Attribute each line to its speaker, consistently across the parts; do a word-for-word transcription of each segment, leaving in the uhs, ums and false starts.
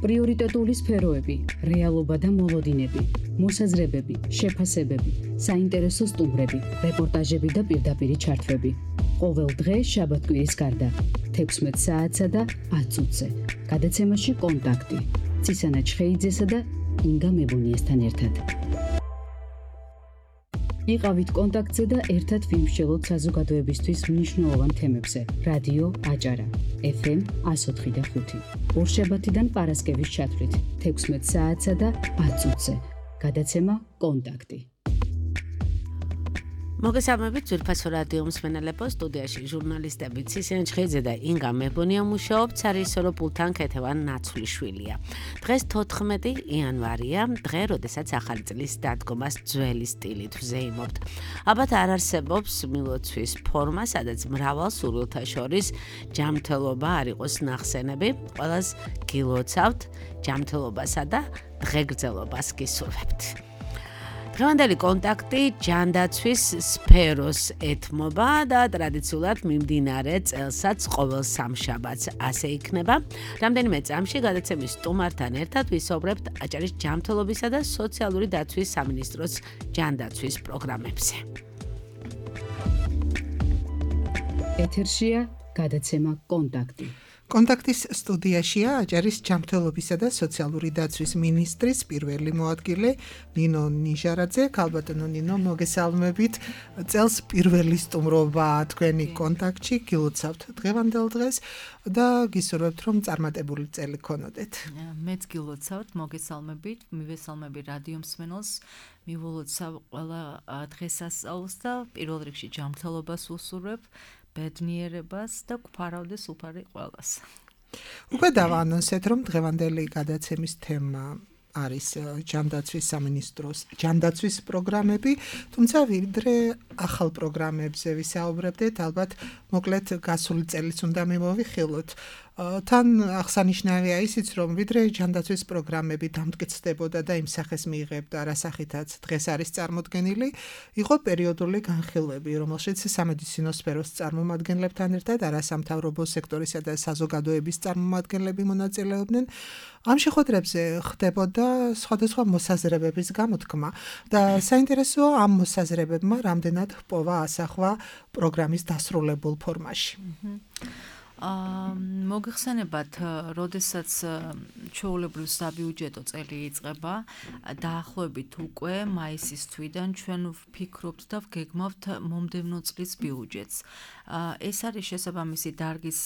Speaker 1: პრიორიტეტული სფეროები, რეალობა და მოლოდინები, მოსაზრებები, შეფასებები, საინტერესო სტუმრები, რეპორტაჟები და პირდაპირი ჩართვები. ყოველ დღე შაბათ-კვირის გარდა, თექვსმეტ საათსა და ათ წუთზე. გადაცემაში კონტაქტი. ცისანა ჩხეიძესა და ინგა მებუნიესთან ერთად. იყავით კონტაქტზე და ერთად ვიმსჯელოთ საზოგადოებისთვის მნიშვნელოვან თემებზე. რადიო აჭარა, ეფ ემ εκατო ოთხი და ხუთი. ორშაბათიდან პარასკევის ჩათვლით, თექვსმეტ საათსა და ათ წუთზე. გადაცემა კონტაქტი.
Speaker 2: მოგესალმებით ძვირფასო რადიო მსმენელებო, სტუდიაში ჟურნალისტები ცისანა ჩხეიძე და ინგა მებუნია მუშაობთ, სარიჟისორო პულტთან ქეთევან ნაცვლიშვილია. დღეს თოთხმეტი იანვარია, დღე, როდესაც ახალი წლის დადგომას ძველი სტილით ვზეიმობთ. ალბათ არ არსებობს მილოცვის ფორმა, სადაც მრავალ სურვილთა შორის ჯანმრთელობა არ იყოს ნახსენები. ყველას გილოცავთ ჯანმრთელობასა და დღეგრძელობას გისურვებთ. დღევანდელი კონტაქტი ჯანდაცვის სფეროს ეთმობა და ტრადიციულად მიმდინარე წელსაც ყოველ სამშაბათს ასე იქნება. რამდენიმე წამში გადაცემის სტუმართან ერთად ვისაუბრებთ აჭარის ჯანმრთელობისა და სოციალური დაცვის სამინისტროს ჯანდაცვის პროგრამებზე.
Speaker 1: ეთერშია გადაცემა კონტაქტი.
Speaker 3: კონტაქტის სტუდიაშია აჭარის ჯანმრთელობისა და სოციალური დაცვის მინისტრის პირველი მოადგილე ნინო ნიჟარაძე. ქალბატონო ნინო, მოგესალმებით. წელს პირველი სტუმრობა თქვენი კონტაქტში, გილოცავთ დღევანდელ დღეს და გისურვებთ, რომ წარმატებული წელი გქონოდეთ.
Speaker 4: მეც გილოცავთ, მოგესალმებით, მივესალმები რადიო მსმენელს, მივლოცავ ყველა დღესასწაულს და პირველ რიგში ჯანმრთელობას ვუსურვებ, ბედნიერებას და გვფარავდეს უფარი ყველას.
Speaker 3: უკვე დავაანონსეთ, რომ დღევანდელი გადაცემის თემა არის ჯანდაცვის სამინისტროს ჯანდაცვის პროგრამები, თუმცა ვიდრე ახალ პროგრამებზე ვისაუბრებდეთ, ალბათ მოკლედ გასული წელიც უნდა მიმოვიხილოთ. თან აღსანიშნავია ისიც, რომ ვიდრე ჯანდაცვის პროგრამები დამტკიცდებოდა და იმ სახეს მიიღებდა, რასახითაც დღეს არის წარმოდგენილი, იყო პერიოდული განხილვები, რომელშიც სამედიცინო სფეროს წარმომადგენლებთან ერთად არასამთავრობო სექტორისა და საზოგადოების წარმომადგენლები მონაწილეობდნენ. ამ შეხვედრებზე ხდებოდა სხვადასხვა მოსაზრებების გამოთქმა და საინტერესოა ამ მოსაზრებებმა რამდენად ჰპოვა ასახვა პროგრამის დასრულებულ ფორმაში.
Speaker 4: მოგეხსენებათ, როდესაც ჩვეულებრივ საბიუჯეტო წელი იწყება, დაახლოებით უკვე მაისის თვიდან ჩვენ ვფიქრობთ და ვგეგმავთ მომდევნო წლის ბიუჯეტს. ეს არის შესაბამისი დარგის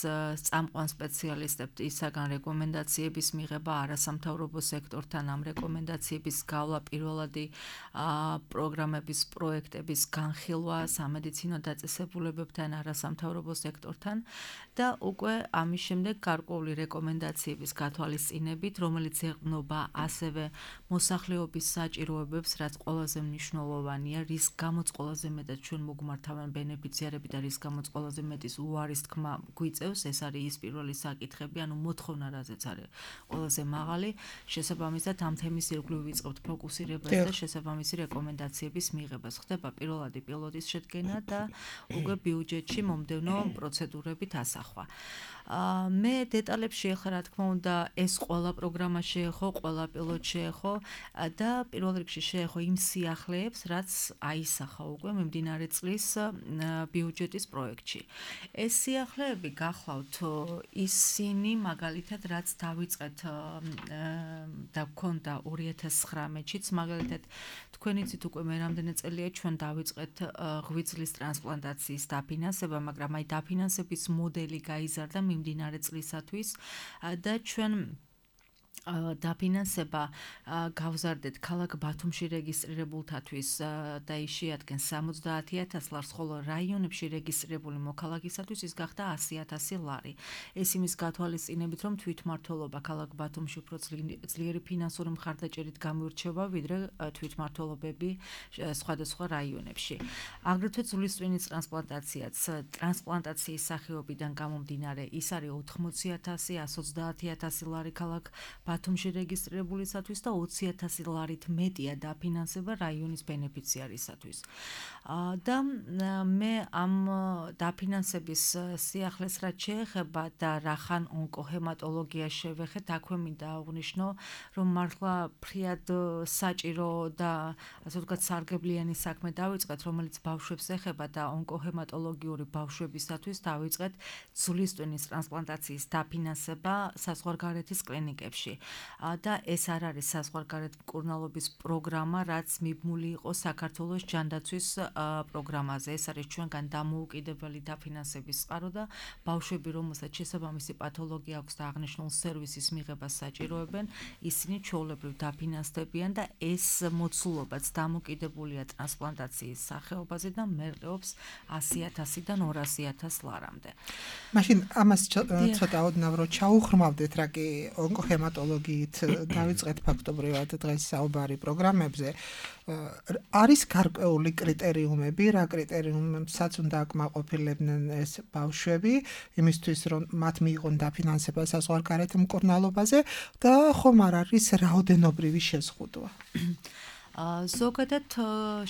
Speaker 4: წამყვან სპეციალისტებისაგან რეკომენდაციების მიღება, არასამთავრობო სექტორთან ამ რეკომენდაციების გავლა, პირველადი პროგრამების პროექტების განხილვა სამედიცინო დაწესებულებებთან, არასამთავრობო სექტორთან და უკვე ამის შემდეგ გარკვეული რეკომენდაციების გათვალისწინებით, რომელიც ეყრდნობა ასევე მოსახლეობის საჭიროებებს, რაც ყველაზე მნიშვნელოვანია, რის გამოც ყველაზე მეტად ჩვენ მოგმართავენ ბენეფიციარები და რის გამოც ყველაზე მეტის უარის თქმა გვიწევს, ეს არის ის პირველი საკითხები, ანუ მოთხოვნა რაზეც არის ყველაზე მაღალი, შესაბამისად ამ თემის ირგვლივ ვიწყებთ ფოკუსირებას და შესაბამისი რეკომენდაციების მიღებას. ხდება პირველადი პილოტის შედგენა და უკვე ბიუჯეტში მომდევნო პროცედურებით ასახვა. მე დეტალებში ახლა რა თქმა უნდა ეს ყველა პროგრამა შეეხო, ყველა პილოტ შეეხო და პირველ რიგში შეეხო იმ სიახლეებს, რაც აისახა უკვე მიმდინარე წლის ბიუჯეტის პროექტში. ეს სიახლეები გახლავთ ისინი, მაგალითად, რაც დავიწყეთ და გქონდა ორი ათას ცხრამეტშიც, მაგალითად, თქვენ იცით უკვე მე რამდენი წელია ჩვენ დავიწყეთ ღვიძლის ტრანსპლანტაციის დაფინანსება, მაგრამ აი დაფინანსების მოდელი გაიზარდა მიმდინარე წლისათვის და ჩვენ დაფინანსება გავზარდეთ ქალაქ ბათუმში რეგისტრირებულთათვის და ის შეადგენს სამოცდაათი ათას ლარს, ხოლო რაიონებში რეგისტრირებული მოქალაქისათვის ის გახდა ასი ათასი ლარი. ეს იმის გათვალისწინებით, რომ თვითმმართველობა ქალაქ ბათუმში უფრო ძლიერი ფინანსური მხარდაჭერით გამოირჩევა, ვიდრე თვითმმართველობები სხვადასხვა რაიონებში. აგრეთვე ძვლისწვინის ტრანსპლანტაციაც ტრანსპლანტაციის სახეობიდან გამომდინარე, ის არის ოთხმოცი ათასი, ათს ოცდაათი ათასი ლარი ქალაქ ბათუმში რეგისტრირებულისათვის და ოცი ათასი ლარით მეტია დაფინანსება რაიონის ბენეფიციარისათვის. და მე ამ დაფინანსების სიახლეს რაც შეეხება და რახან ონკოჰემატოლოგია შევეხეთ, აქვე მინდა აღვნიშნო, რომ მართლა ფრიად საჭირო და ასე ვთქვათ სარგებლიანი საქმე დავიწყეთ, რომელიც ბავშვებს ეხება და ონკოჰემატოლოგიური ბავშვებისათვის დავიწყეთ ძვლის ტვინის ტრანსპლანტაციის დაფინანსება საზღვარგარეთის კლინიკებში. და ეს არ არის საზღვარგარეთ მკურნალობის პროგრამა, რაც მიბმული იყო საქართველოს ჯანდაცვის პროგრამაზე. ეს არის ჩვენგან დამოუკიდებელი დაფინანსების წყარო და ბავშვები, რომელსაც შესაბამისი პათოლოგია აქვს და აღნიშნულ სერვისის მიღებას საჭიროებენ, ისინი ჩვეულებრივ დაფინანსდებიან და ეს მოცულობაც დამოკიდებულია ტრანსპლანტაციის სახეობაზე და მერყეობს ასი ათასიდან ორასი ათას ლარამდე.
Speaker 3: მაშინ ამას ცოტა ოდნავ რო ჩაუხრმავდეთ, რა კი ონკოჰემატოლოგიით დავიწყეთ ფაქტობრივად დღეს საუბარი პროგრამებზე. არის გარკვეული კრიტერიუმები, რა კრიტერიუმებსაც უნდა აკმაყოფილებდნენ ეს ბავშვები, იმისთვის რომ მათ მიიღონ დაფინანსება საზღვარგარეთ მკურნალობაზე და ხომ არ არის რაოდენობრივი შეზღუდვა.
Speaker 4: ზოგადად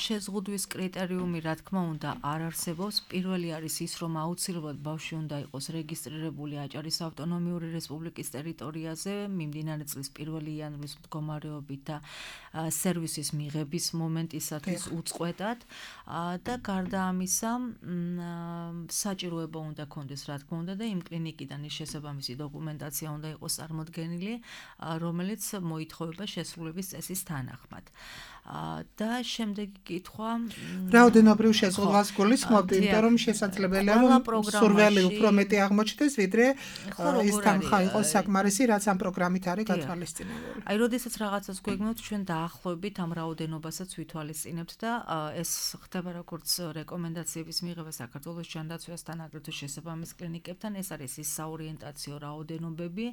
Speaker 4: შეზღუდვის კრიტერიუმი, რა თქმა უნდა, არ არსებობს. პირველი არის ის, რომ აუცილებლად ბავშვი უნდა იყოს რეგისტრირებული აჭარის ავტონომიური რესპუბლიკის ტერიტორიაზე მიმდინარე წლის პირველი იანვრის მდგომარეობით და სერვისის მიღების მომენტისათვის უწყვეტად და გარდა ამისა საჭიროება უნდა ქონდეს, რა თქმა უნდა, და იმ კლინიკიდან ის შესაბამისი დოკუმენტაცია უნდა იყოს წარმოდგენილი, რომელიც მოითხოვება შესრულების წესის თანახმად. და შემდეგი კითხვა
Speaker 3: რაოდენობრივ შეზღუდვას გულისხმობთ, იმიტომ რომ შესაძლებელია რომ სურველი უფრო მეტი აღმოჩნდეს, ვიდრე ის თანხა იყოს საკმარისი, რაც ამ პროგრამით არის გათვალისწინებული.
Speaker 4: აი, როდესაც რაღაცას გვეგნოთ, ჩვენ დაახლოებით ამ რაოდენობასაც ვითვალისწინებთ და ეს ხდება როგორც რეკომენდაციების მიღება საქართველოს ჯანდაცვასთან, აგრეთვე შესაბამის კლინიკებთან. ეს არის ის საორიენტაციო რაოდენობები,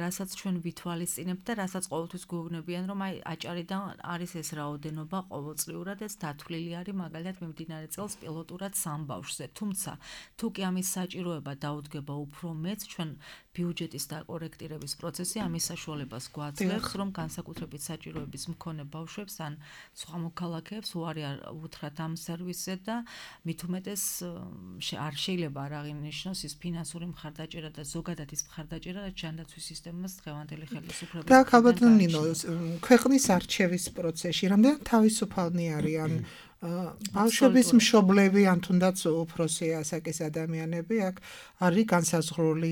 Speaker 4: რასაც ჩვენ ვითვალისწინებთ და რასაც ყოველთვის გვეუბნებიან, რომ აი აჭარიდან არის ეს რაოდენობა ყოველწლიურად, ეს დათვლილი არის მაგალითად მიმდინარე წელს პილოტურად სამ ბავშვზე. თუმცა თუ კი ამის საჭიროება დაუდგება უფრო მეც, ჩვენ ბიუჯეტის დაკორექტირების პროცესი ამის საშუალებას გვაძლევს, რომ განსაკუთრებით საჭიროების მქონე ბავშვებს ან სხვა მოქალაქეებს უარი უთხრათ ამ სერვისზე და მით უმეტეს არ შეიძლება არ აღინიშნოს ის ფინანსური მხარდაჭერა და ზოგადად ის მხარდაჭერა, რაც ჯანდაცვის სისტემას დღევანდელი ხელისუფლების
Speaker 3: და ალბათ ნინო, ქვეყნის არჩევის პროცესში რამდენად თავისუფალნი არიან ბავშვების მშობლები ან თუნდაც უფროსი ასაკის ადამიანები, აქ არის განსაზღვრული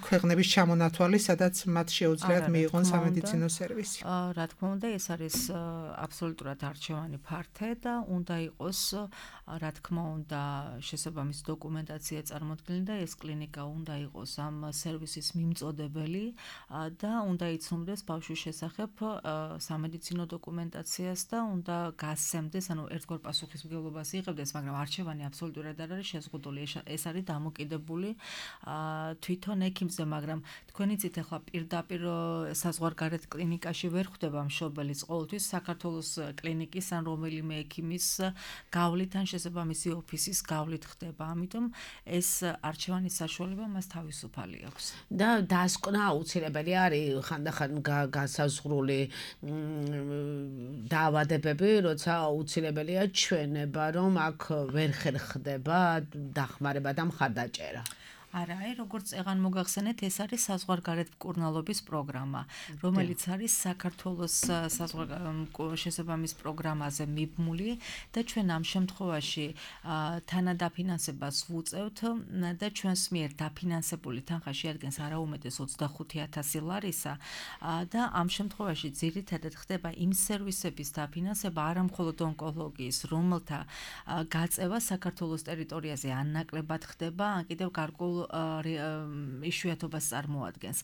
Speaker 3: ქვეყნების ჩამონათვალი, სადაც მათ შეუძლიათ მიიღონ სამედიცინო სერვისი.
Speaker 4: რა თქმა უნდა, ეს არის აბსოლუტურად არჩევანი ფართე და უნდა იყოს, რა თქმა უნდა, შესაბამისი დოკუმენტაცია წარმოდგენილი და ეს კლინიკა უნდა იყოს ამ სერვისის მიმწოდებელი და უნდა იცნობდეს ბავშვის შესახებ სამედიცინო დოკუმენტაციას და უნდა გასცემდეს, ანუ ერთგვარ პასუხისმგებლობას იღებდეს, მაგრამ არჩევანი აბსოლუტურად არ არის შეზღუდული. ეს არის დამოკიდებული თვითონ ექიმზე, მაგრამ თქვენი წით ახლა პირდაპირ საზღვარგარეთ კლინიკაში ვერ ხვდება მშობელის, ყოველთვის საქართველოს კლინიკის ან რომელიმე ექიმის გავლით ან შესაბამისი ოფისის გავლით ხდება. ამიტომ ეს არჩევანის საშუალება მას თავისუფალი აქვს.
Speaker 2: და დასკვნა აუცილებელი არის ხანდახან განსაზღვრული დაავადებები, როცა აუცილებელი ჩვენება, რომ აქ ვერ ხერხდება დახმარება და მხარდაჭერა.
Speaker 4: არა, აი, როგორც წეღან მოგახსენეთ, ეს არის საზღვარგარეთ მკურნალობის პროგრამა, რომელიც არის საქართველოს შესაბამის პროგრამაზე მიბმული და ჩვენ ამ შემთხვევაში თანადაფინანსებას ვუწევთ და ჩვენს მიერ დაფინანსებული თანხა შეადგენს არაუმეტეს ოცდახუთი ათასი ლარისა და ამ შემთხვევაში ძირითადად ხდება იმ სერვისების დაფინანსება, არა მხოლოდ ონკოლოგიის, რომელთა გაწევა საქართველოს ტერიტორიაზე ან ნაკლებად ხდება, ან კიდევ გარკვეულ იშვიათობას წარმოადგენს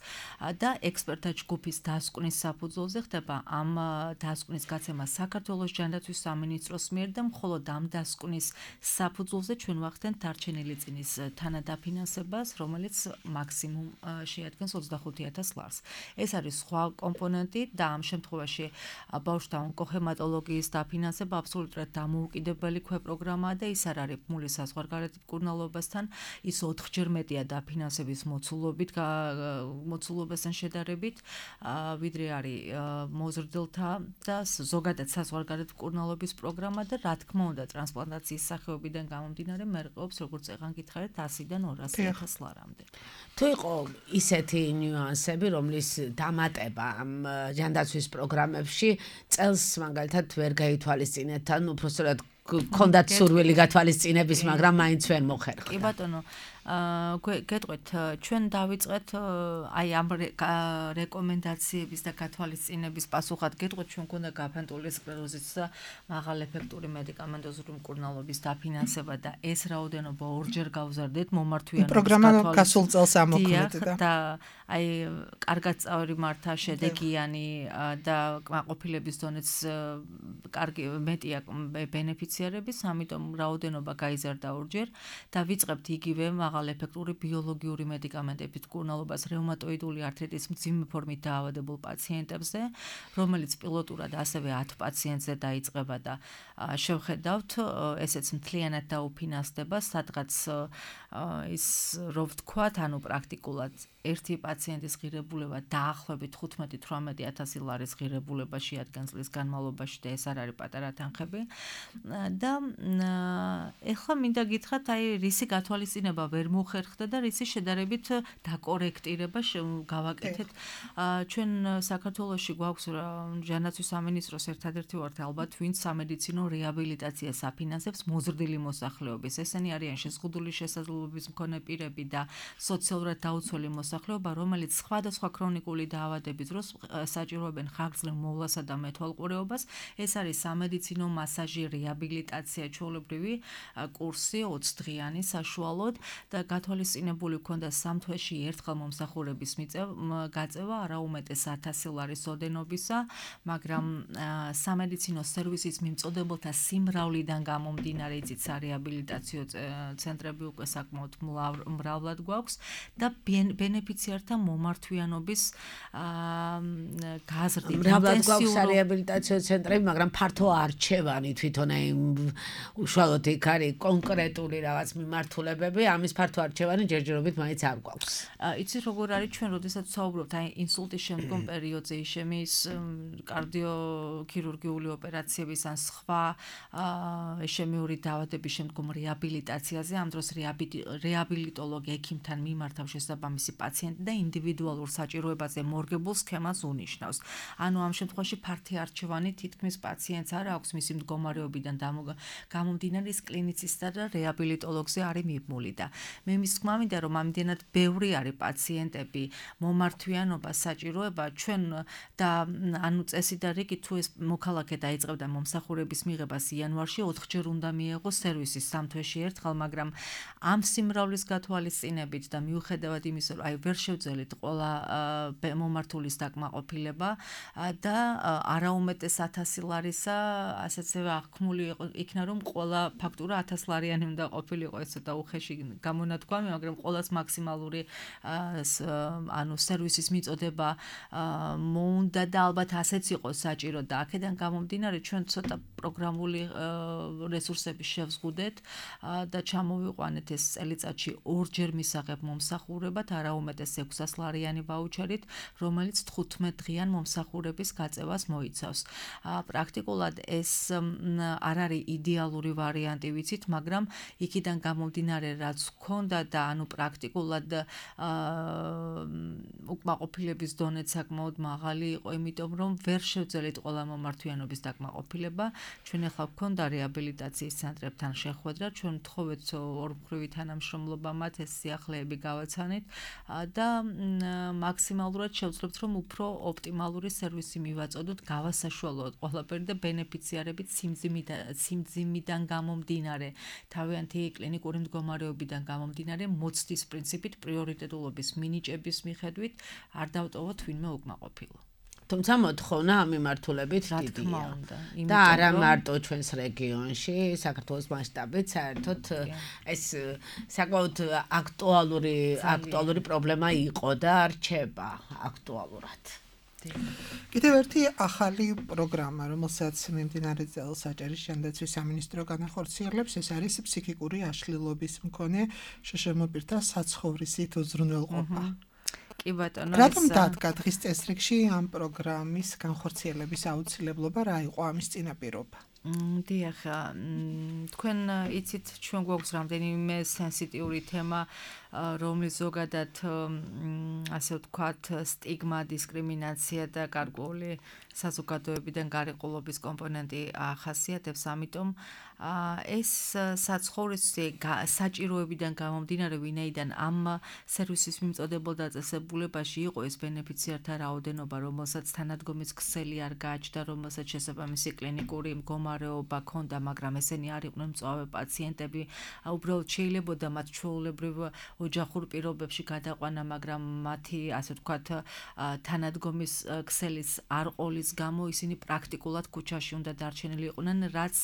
Speaker 4: და ექსპერტთა ჯგუფის დასკვნის საფუძველზე ხდება ამ დასკვნის გაცემა საქართველოს ჯანდაცვის სამინისტროს მიერ და მხოლოდ ამ დასკვნის საფუძველზე ჩვენ ვახდენთ დარჩენილი წინის თანადაფინანსებას, რომელიც მაქსიმუმ შეადგენს ოცდახუთი ათას ლარს. ეს არის სხვა კომპონენტი და ამ შემთხვევაში ბავშვთა ონკოჰემატოლოგიის დაფინანსება აბსოლუტურად დამოუკიდებელი ქვეპროგრამაა და ის არ არის ბმული საზღვარგარეთ მკურნალობასთან, ის ოთხჯერ მეტ მეტია დაფინანსების მოცულობით, მოცულობასთან შედარებით, ვიდრე არის მოზრდილთა და ზოგადად საზღვარგარეთ მკურნალობის პროგრამა და რა თქმა უნდა ტრანსპლანტაციის სახეობიდან გამომდინარე მერყეობს როგორც წეღან გითხარით ასიდან ორასი ათას ლარამდე.
Speaker 2: თუ იყო ისეთი ნიუანსები, რომლის დამატება ამ ჯანდაცვის პროგრამებში წელს მაგალითად ვერ გაითვალისწინეთ, ან უბრალოდ გქონდათ სურვილი გათვალისწინების, მაგრამ მაინც ვერ მოხერხდა.
Speaker 4: კი ბატონო, გეტყვით, ჩვენ დავიწყეთ აი ამ რეკომენდაციების და გათვალისწინების პასუხად გეტყვით, ჩვენ გქონდა გაფანტული სკლეროზის და მაღალეფექტური მედიკამენტოზური მკურნალობის დაფინანსება და ეს რაოდენობა ორჯერ გავზარდეთ მომართვიანობის
Speaker 3: პროგრამა გასულ წელს ამოქმედდა
Speaker 4: და აი კარგად წავრი მართა შედეგიანი და კმაყოფილების დონეც კარგი მეტია ბენეფიციარების, ამიტომ რაოდენობა გაიზარდა ორჯერ და ვიწყებთ იგივე მაღალეფექტური ბიოლოგიური მედიკამენტებით მკურნალობას რევმატოიდული ართრიტის მძიმე ფორმით დაავადებულ პაციენტებზე, რომელიც პილოტურად ასევე ათ პაციენტზე დაიწყება და შევხედავთ, ესეც მთლიანად დაუფინანსდება, სადღაც ის რო ვთქვათ, ანუ პრაქტიკულად ერთი პაციენტის ღირებულება დაახლოებით ხუთმეტი თვრამეტი ათასი ლარის ღირებულება შეადგენს წლის განმავლობაში და ეს არ არის პატარა თანხები და ეხლა მინდა გითხრათ, აი რისი გათვალისწინება ვერ მოხერხდა და რისი შედარებით დაკორექტირება გავაკეთეთ. ჩვენ საქართველოში გვაქვს ჯანდაცვის სამინისტროს ერთადერთი ვართ ალბათ, ვინც სამედიცინო რეაბილიტაციას აფინანსებს მოზრდილი მოსახლეობის. ესენი არიან შეზღუდული შესაძლებლობის მქონე პირები და სოციალურად დაუცველი მოსახლეობა, რომელიც სხვადასხვა ქრონიკული დაავადების დროს საჭიროებენ ხანგრძლივ მოვლასა და მეთვალყურეობას. ეს არის სამედიცინო მასაჟი, რეაბილიტაცია, ჩვეულებრივი კურსი ოცი დღიანი საშუალოდ და გათვალისწინებული ქონდა სამ თვეში ერთხელ მომსახურების გაწევა არაუმეტეს ათასი ლარის ოდენობისა, მაგრამ სამედიცინო სერვისის მიმწოდებელთა სიმრავლიდან გამომდინარე იცით სარეაბილიტაციო ცენტრები უკვე საკმაოდ მრავლად გვაქვს და ბენეფიციართა მომართვიანობის გაზრდით.
Speaker 2: მრავლად გვაქვს სარეაბილიტაციო ცენტრები, მაგრამ ფართო არჩევანი თვითონ აი უშუალოდ იქ არის კონკრეტული რაღაც მიმართულებები, ამის ფართო არჩევანი ჯერჯერობით მაინც არ გვაქვს.
Speaker 4: იცით როგორ არის ჩვენ როდესაც ვსაუბრობთ აი ინსულტის შემდგომ პერიოდზე, იშემის კარდიოქირურგიული ოპერაციების ან სხვა იშემიური დაავადების შემდგომ რეაბილიტაციაზე, ამ დროს რეაბილიტოლოგი ექიმთან მიმართავ შესაბამისი პაციენტი და ინდივიდუალურ საჭიროებაზე მორგებულ სქემას უნიშნავს. ანუ ამ შემთხვევაში ფართი არჩევანი თითქმის პაციენტს არ აქვს მისი მდგომარეობიდან გამომდინარე ის კლინიცისტა და რეაბილიტოლოგზე არის მიბმული და მე მის თქმა მინდა რომ ამდენად ბევრი არის პაციენტები მომართვიანობა საჭიროება ჩვენ და ანუ წესი და რიგი თუ ეს მოქალაქე დაიწყებდა მომსახურების მიღებას იანვარში ოთხჯერ უნდა მიეღოს სერვისის სამ თვეში ერთხელ, მაგრამ ამ სიმრავლის გათვალისწინებით და მიუხედავად იმისა რომ აი ვერ შევძელით ყველა მომართულის დაკმაყოფილება და არაუმეტეს ათასი ლარისა ასეცე აღქმული იქნა რომ ყველა ფაქტურა ათას ლარიანი უნდა ყოფილიყო, ეს ცოტა უხეში გამონათქვამი, მაგრამ ყოველას მაქსიმალური ანუ სერვისის მიწოდება მოუნდა და ალბათ ასეც იყო საჭირო და აქედან გამომდინარე ჩვენ ცოტა პროგრამული რესურსები შევზღუდეთ და ჩამოვიყვანეთ ეს წელიწადში ორჯერ მისაღებ მომსახურებად არაუმეტეს ექვსას ლარიანი ვაუჩერით, რომელიც თხუთმეტ დღიან მომსახურების გაწევას მოიცავს. პრაქტიკულად ეს არ არის იდეალური ვარიანტი, ვიცით, მაგრამ იქიდან გამომდინარე რაც ჰქონდა და ანუ პრაქტიკულად უკმაყოფილების დონეც საკმაოდ მაღალი იყო, იმიტომ რომ ვერ შევძელით ყველა მომართვიანობის დაკმაყოფილება. ჩვენ ახლა გვქონდა რეაბილიტაციის ცენტრებთან შეხვედრა, ჩვენ ვთხოვეთ ორმხრივი თანამშრომლობა მათ ეს სიახლეები გავაცანით და მაქსიმალურად შევძლებთ რომ უფრო ოპტიმალური სერვისი მივაწოდოთ, გავასაშუალოთ ყველაფერი და ბენეფიციარებით სიმძიმიდან გამომდინარე, თავიანთი კლინიკური მდგომარეობიდან გამომდინარე, მოცდის პრინციპით პრიორიტეტულობის მინიჭების მიხედვით არ დავტოვოთ ვინმე უკმაყოფილო.
Speaker 2: თუმცა მოთხოვნა ამ მიმართულებით დიდია. და არა მარტო ჩვენს რეგიონში, საქართველოს მასშტაბით, საერთოდ ეს საკმაოდ აქტუალური აქტუალური პრობლემა იყო და რჩება აქტუალურად.
Speaker 3: კიდევ ერთი ახალი პროგრამა, რომელსაც მიმდინარე წელს საჭირის ჯანდაცვის სამინისტრო განახორციელებს, ეს არის ფსიქიკური აშლილობის მქონე შშმ პირთა საცხოვრისით უზრუნველყოფა.
Speaker 4: კი ბატონო,
Speaker 3: რატომ დადგა დღის წესრიგში ამ პროგრამის განხორციელების აუცილებლობა, რა იყო ამის წინაპირობა?
Speaker 4: დიახ, თქვენ იცით, ჩვენ გვაქვს რამდენიმე სენსიტიური თემა, რომლის ზოგადად ასე ვთქვათ, სტიგმა, დისკრიმინაცია და გარკვეული საზოგადოებიდან გარიყულობის კომპონენტი ახასიათებს, ამიტომ ეს საცხოვრისი საჭიროებიდან გამომდინარე, ვინაიდან ამ სერვისის მიმწოდებელ დაწესებულებაში იყო ეს ბენეფიციართა რაოდენობა, რომელსაც თანადგომის ქსელი არ გააჩნდა, რომელსაც შესაბამისი კლინიკური მდგომარეობა ჰქონდა, მაგრამ ესენი არ იყვნენ მწვავე პაციენტები, უბრალოდ შეიძლებოდა მათ ჩვეულებრივ ოჯახურ პირობებში გადაყვანა, მაგრამ მათი, ასე ვთქვათ, თანადგომის ქსელის არ ყოლის გამო ისინი პრაქტიკულად ქუჩაში უნდა დარჩენილი იყვნენ, რაც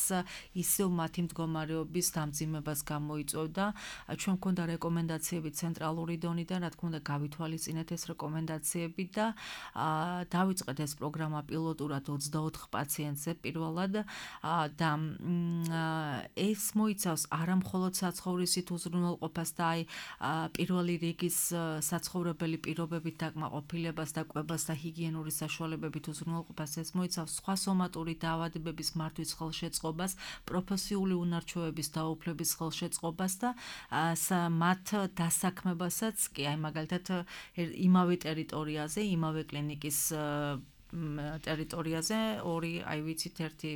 Speaker 4: ისევ მათი მდგომარეობის დამძიმებას გამოიწვევდა. ჩვენ გვქონდა რეკომენდაციები ცენტრალური დონიდან, რა თქმა უნდა, გავითვალისწინეთ ეს რეკომენდაციები და დავიწყეთ ეს პროგრამა პილოტურად ოცდაოთხ პაციენტზე პირველად და ეს მოიცავს არა მხოლოდ საცხოვრისით უზრუნველყოფას და აი პირველი რიგის საცხოვრებელი პირობებით დაკმაყოფილებას და კვებას და ჰიგიენური საშუალებებით უზრუნველყოფას, ეს მოიცავს სხვა სომატური დაავადებების მართვის ხელშეწყობას, პროფესიული უნარჩვევების დაუფლების ხელშეწყობას და მათ დასაქმებასაც კი აი მაგალითად იმავე ტერიტორიაზე, იმავე კლინიკის ტერიტორიაზე ორი, აი ვიცით, ერთი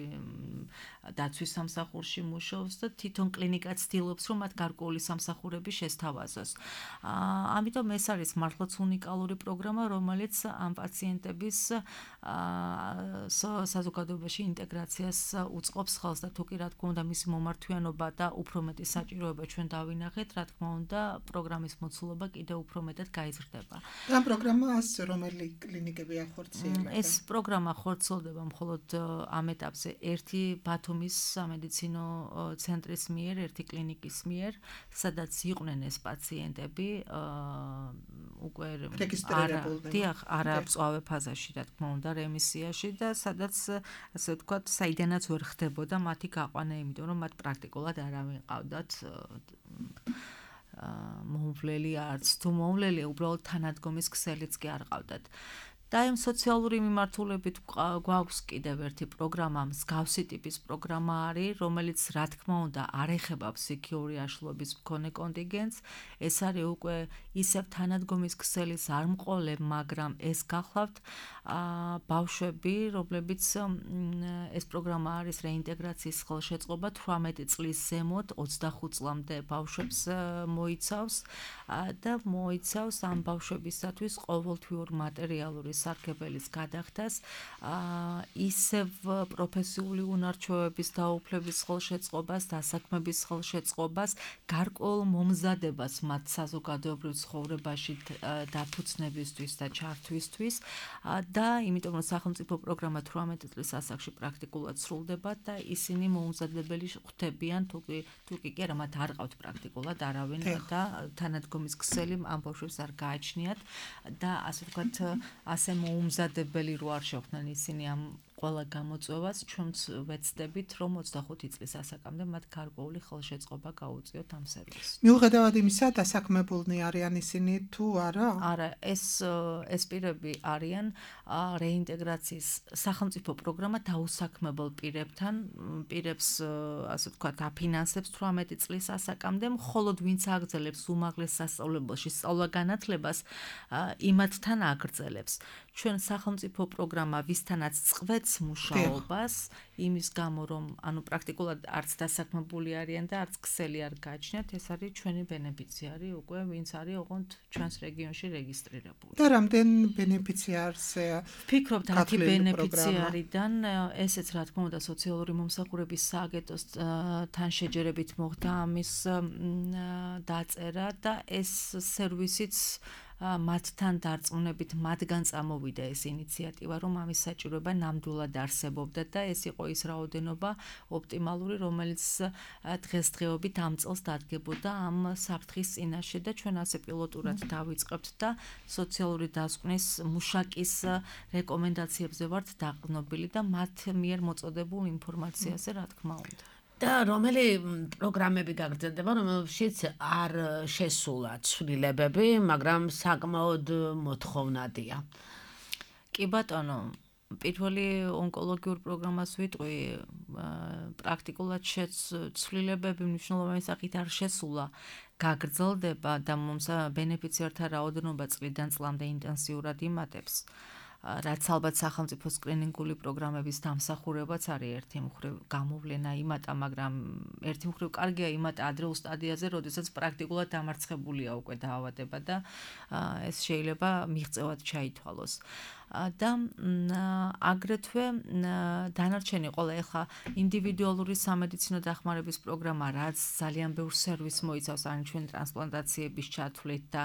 Speaker 4: დაცვის სამსახურში მუშაობს და თვითონ კლინიკა ცდილობს, რომ მათ გარკვეული სამსახურები შესთავაზოს. ამიტომ ეს არის მართლაც უნიკალური პროგრამა, რომელიც ამ პაციენტების საზოგადოებაში ინტეგრაციას უწყობს ხელს და თუ კი რა თქმა უნდა მისი მომართვიანობა და უფრო მეტი საჭიროება ჩვენ დავინახეთ, რა თქმა უნდა პროგრამის მოცულობა კიდევ უფრო მეტად გაიზრდება.
Speaker 3: ამ პროგრამას რომელი კლინიკები ახორციელებენ?
Speaker 4: ეს პროგრამა ხორციელდება მხოლოდ ამ ეტაპზე ერთი ბათუმის სამედიცინო ცენტრის მიერ, ერთი კლინიკის მიერ, სადაც იყვნენ ეს პაციენტები უკვე დიახ, არა მწვავე ფაზაში, რა თქმა უნდა, რემისიაში და სადაც ასე ვთქვათ, საიდანაც ვერ ხდებოდა მათი გაყვანა, იმიტომ რომ მათ პრაქტიკულად არავინ ყავდათ მომვლელი არც თუ მომვლელი, უბრალოდ თანადგომის ქსელიც კი არ ყავდათ. და იმ სოციალური მიმართულებით გვაქვს კიდევ ერთი პროგრამა, მსგავსი ტიპის პროგრამა არის, რომელიც რა თქმა უნდა არ ეხება ფსიქიური აშლილობის მქონე კონტინგენტს, ეს არის უკვე ისევ თანადგომის ქსელის არ მყოლე, მაგრამ ეს გახლავთ ბავშვები, რომლებიც ეს პროგრამა არის რეინტეგრაციის ხელშეწყობა თვრამეტი წლის ზემოთ ოცდახუთ წლამდე ბავშვებს მოიცავს და მოიცავს ამ ბავშვებისათვის ყოველთვიურ მატერიალური სარგებელის გადახდას, ისევ პროფესიული უნარჩვევების დაუფლების ხელშეწყობას, დასაქმების ხელშეწყობას, გარკვეულ მომზადებას მათ საზოგადოებრივ ცხოვრებაში დაფუძნებისთვის და ჩართვისთვის და იმიტომ რომ სახელმწიფო პროგრამა თვრამეტი წლის ასაკში პრაქტიკულად სრულდება და ისინი მომზადებელი ხვდებიან, თუკი თუკი კი არა, მათ არ ყავთ პრაქტიკულად არავინ და თანადგომის ქსელი ამ ბავშვებს არ გააჩნიათ და ასე ვთქვათ, ასე მოუმზადებელი რო არ შეხვდნენ ისინი ამ ყველა გამოწვევას, ჩვენც ვეცდებით, რომ ოცდახუთი წლის ასაკამდე მათ გარკვეული ხელშეწყობა გაუწიოთ ამ სერვისს.
Speaker 3: მიუხედავად იმისა, დასაქმებულნი არიან ისინი თუ არა?
Speaker 4: არა, ეს ეს პირები არიან რეინტეგრაციის სახელმწიფო პროგრამა დაუსაქმებელ პირებთან, პირებს ასე ვთქვათ, აფინანსებს თვრამეტი წლის ასაკამდე, მხოლოდ ვინც აგრძელებს უმაღლეს სასწავლებელში სწავლა-განათლებას, იმათთან აგრძელებს. ჩვენ სახელმწიფო პროგრამა ვისთანაც წყვეტს მუშაობას, იმის გამო რომ ანუ პრაქტიკულად არც დასაქმებული არიან და არც ქსელი არ გააჩნიათ, ეს არის ჩვენი ბენეფიციარი უკვე, ვინც არის ოღონდ ჩვენს რეგიონში რეგისტრირებული.
Speaker 3: და რამდენ ბენეფიციარზე
Speaker 4: ვფიქრობთ ათი ბენეფიციარიდან, ესეც რა თქმა უნდა სოციალური მომსახურების სააგენტოს თან შეჯერებით მოხდა ამის დაწერა და ეს სერვისიც მათთან დარწმუნებით მათგან წამოვიდა ეს ინიციატივა, რომ ამის საჭიროება ნამდვილად არსებობდა და ეს იყო ის რაოდენობა ოპტიმალური, რომელიც დღესდღეობით ამ წელს დადგებოდა ამ საფრთხის წინაშე და ჩვენ ასე პილოტურად დავიწყებთ და სოციალური დასკვნის მუშაკის რეკომენდაციებზე ვართ დაყრდნობილი და მათ მიერ მოწოდებულ ინფორმაციაზე, რა თქმა უნდა.
Speaker 2: და რომელი პროგრამები გაგრძელდება, რომელშიც არ შესულა ცვლილებები, მაგრამ საკმაოდ მოთხოვნადია.
Speaker 4: კი ბატონო, პირველი ონკოლოგიურ პროგრამას ვიტყვი, პრაქტიკულად ცვლილებები მნიშვნელოვანი სახით არ შესულა, გაგრძელდება და მომს ბენეფიციართა რაოდენობა წლიდან წლამდე ინტენსიურად იმატებს. რაც ალბათ სახელმწიფო სკრინინგული პროგრამების დამსახურებაც არის ერთი მხრივ გამოვლენა იმატა, მაგრამ ერთი მხრივ კარგია იმატა ადრეულ სტადიაზე, როდესაც პრაქტიკულად დამარცხებულია უკვე დაავადება და ეს შეიძლება მიღწევად ჩაითვალოს. და აგრეთვე დანარჩენი ყველა ეხლა ინდივიდუალური სამედიცინო დახმარების პროგრამა, რაც ძალიან ბევრ სერვისს მოიცავს, ან ჩვენ ტრანსპლანტაციების ჩათვლით და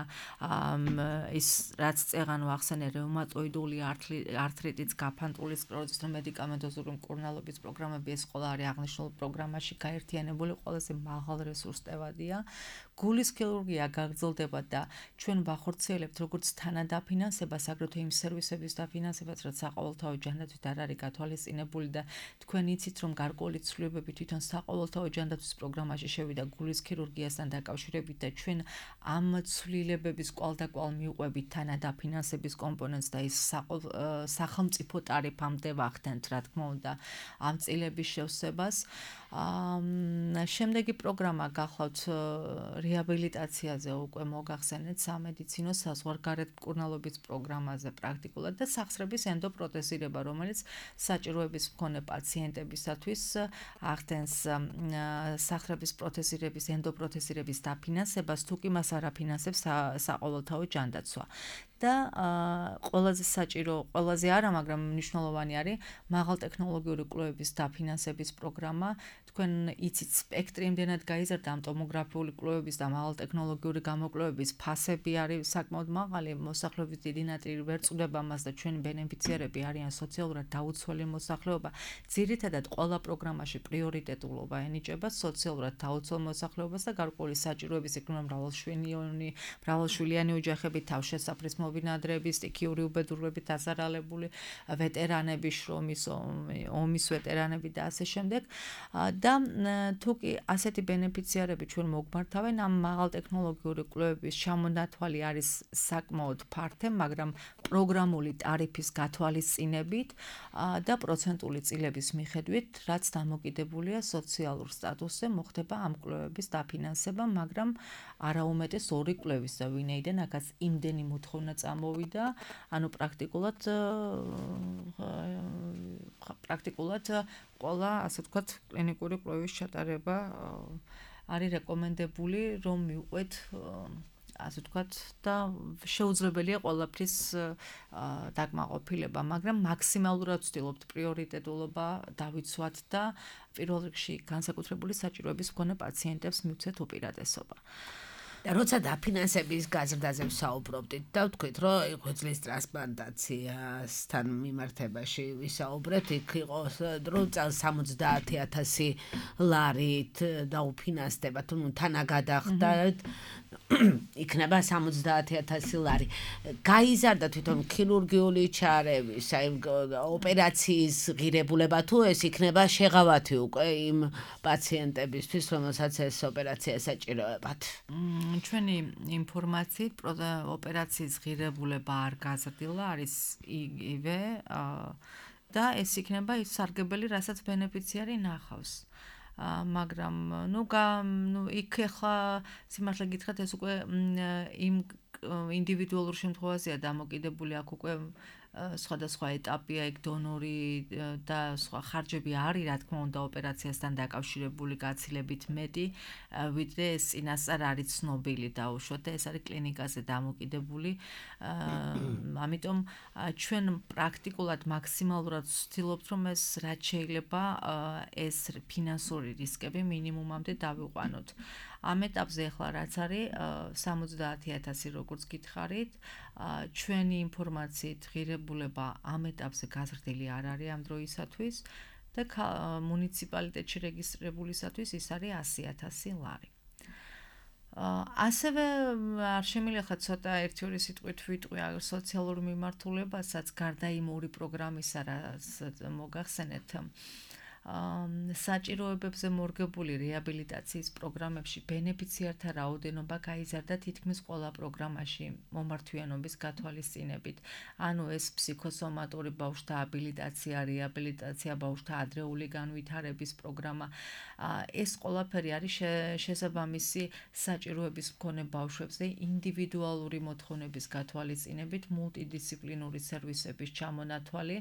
Speaker 4: ის რაც წეღან ვახსენე რევმატოიდული ართრიტის, გაფანტული სკლეროზის და მედიკამენტოზური მკურნალობის პროგრამები, ეს ყველა არის აღნიშნულ პროგრამაში გაერთიანებული, ყველაზე მაღალ რესურსტევადია. გულის ქირურგია გაგრძელდება და ჩვენ ვახორციელებთ როგორც თანადაფინანსებას, აგრეთვე იმ სერვისების დაფინანსებას, რაც საყოველთაო ჯანდაცვით არ არის გათვალისწინებული და თქვენ იცით, რომ გარკვეული ცვლილებები თვითონ საყოველთაო ჯანდაცვის პროგრამაში შევიდა გულის ქირურგიასთან დაკავშირებით და ჩვენ ამ ცვლილებების კვალდაკვალ მივყვებით თანადაფინანსების კომპონენტს და ის სახელმწიფო ტარიფამდე ვახდენთ, რა თქმა უნდა, ამ წილების შევსებას. შემდეგი პროგრამა გახლავთ რეაბილიტაციაზე უკვე მოგახსენეთ სამედიცინო საზღვარგარეთ მკურნალობის პროგრამაზე პრაქტიკულად და სახსრების ენდოპროთეზირება, რომელიც საჭიროების მქონე პაციენტებისათვის ახდენს სახსრების პროთეზირების, ენდოპროთეზირების დაფინანსებას, თუ კი მას არ აფინანსებს საყოველთაო ჯანდაცვა. და ყველაზე საჭირო, ყველაზე არა, მაგრამ მნიშვნელოვანი არის მაღალტექნოლოგიური კვლევების დაფინანსების პროგრამა. თქვენ იცით, სპექტრი იმდენად გაიზარდა ამ ტომოგრაფიული კვლევების და მაღალტექნოლოგიური გამოკვლევების ფასები არის საკმაოდ მაღალი, მოსახლეობის დიდი ნაწილი ვერ წვდება მას და ჩვენი ბენეფიციარები არიან სოციალურად დაუცველი მოსახლეობა. ძირითადად ყველა პროგრამაში პრიორიტეტულობა ენიჭება სოციალურად დაუცველ მოსახლეობას და გარკვეული საჭიროების იქნება მრავალშვილიანი, მრავალშვილიანი ოჯახები, თავშესაფრის მობინადრეები, სტიქიური უბედურებით დაზარალებული ვეტერანები, შრომის ომის ვეტერანები და ასე შემდეგ. და თუ კი ასეთი ბენეფიციარები ჩვენ მოგმართავენ, ამ მაღალტექნოლოგიური კვლევების ჩამონათვალი არის საკმაოდ ფართე, მაგრამ პროგრამული ტარიფის გათვალისწინებით და პროცენტული წილების მიხედვით, რაც დამოკიდებულია სოციალურ სტატუსზე, მოხდება ამ კვლევების დაფინანსება, მაგრამ არაუმეტეს ორი კვლევის და ვინაიდან აქაც იმდენი მოთხოვნა წამოვიდა, ანუ პრაქტიკულად პრაქტიკულად ყველა, ასე ვთქვათ, კლინიკური კვლევის ჩატარება არის რეკომენდებული, რომ მივყვეთ, ასე ვთქვათ, და შეუძლებელია ყველაფრის დაკმაყოფილება, მაგრამ მაქსიმალურად ვცდილობთ პრიორიტეტულობა დავიცვათ და პირველ რიგში განსაკუთრებული საჭიროების მქონე პაციენტებს მივცეთ უპირატესობა.
Speaker 2: და როცა დაფინანსების გაზრდაზე ვსაუბრობდით და ვთქვით, რომ ღვიძლის ტრანსპლანტაციასთან მიმართებაში ვისაუბრეთ, იქ იყო დრო წელს სამოცდაათი ათასი ლარით დაუფინანსდება, თუ თანაგადახდა იქნება სამოცდაათი ათასი ლარი. გაიზარდა თვითონ ქირურგიული ჩარევის, აი ოპერაციის ღირებულება, თუ ეს იქნება შეღავათი უკვე იმ პაციენტებისთვის, რომელსაც ეს ოპერაცია საჭიროებათ.
Speaker 4: ჩვენი ინფორმაციით ოპერაციის ღირებულება არ გაზრდილა, არის იგივე და ეს იქნება ის სარგებელი, რასაც ბენეფიციარი ნახავს. მაგრამ ნუ ნუ იქ ახლა სიმართლე გითხრათ, ეს უკვე იმ ინდივიდუალურ შემთხვევაშია დამოკიდებული, აქ უკვე სხვადასხვა ეტაპია, ეგ დონორი და სხვა ხარჯები არის, რა თქმა უნდა, ოპერაციასთან დაკავშირებული გაცილებით მეტი, ვიდრე ეს წინასწარ არის ცნობილი დაუშვათ და ეს არის კლინიკაზე დამოკიდებული. ამიტომ ჩვენ პრაქტიკულად მაქსიმალურად ვცდილობთ, რომ ეს რაც შეიძლება ეს ფინანსური რისკები მინიმუმამდე დავიყვანოთ. ამ ეტაპზე ახლა რაც არის სამოცდაათი ათასი როგორც გითხარით, ჩვენი ინფორმაციით ღირებულება ამ ეტაპზე გაზრდილი არ არის ამ დროისათვის და მუნიციპალიტეტში რეგისტრირებულისათვის ის არის ასი ათასი ლარი. ასევე არ შემიძლია ხა ცოტა ერთი ორი სიტყვით ვიტყვი სოციალურ მიმართულებასაც გარდა იმ ორი პროგრამისა, რაც მოგახსენეთ. საჭიროებებზე მორგებული რეაბილიტაციის პროგრამებში ბენეფიციართა რაოდენობა გაიზარდა თითქმის ყველა პროგრამაში მომართვიანობის გათვალისწინებით. ანუ ეს ფსიქოსომატური ბავშვთა აბილიტაცია, რეაბილიტაცია, ბავშვთა ადრეული განვითარების პროგრამა, ეს ყველაფერი არის შესაბამისი საჭიროების მქონე ბავშვებზე ინდივიდუალური მოთხოვნების გათვალისწინებით, მულტიდისციპლინური სერვისების ჩამონათვალი,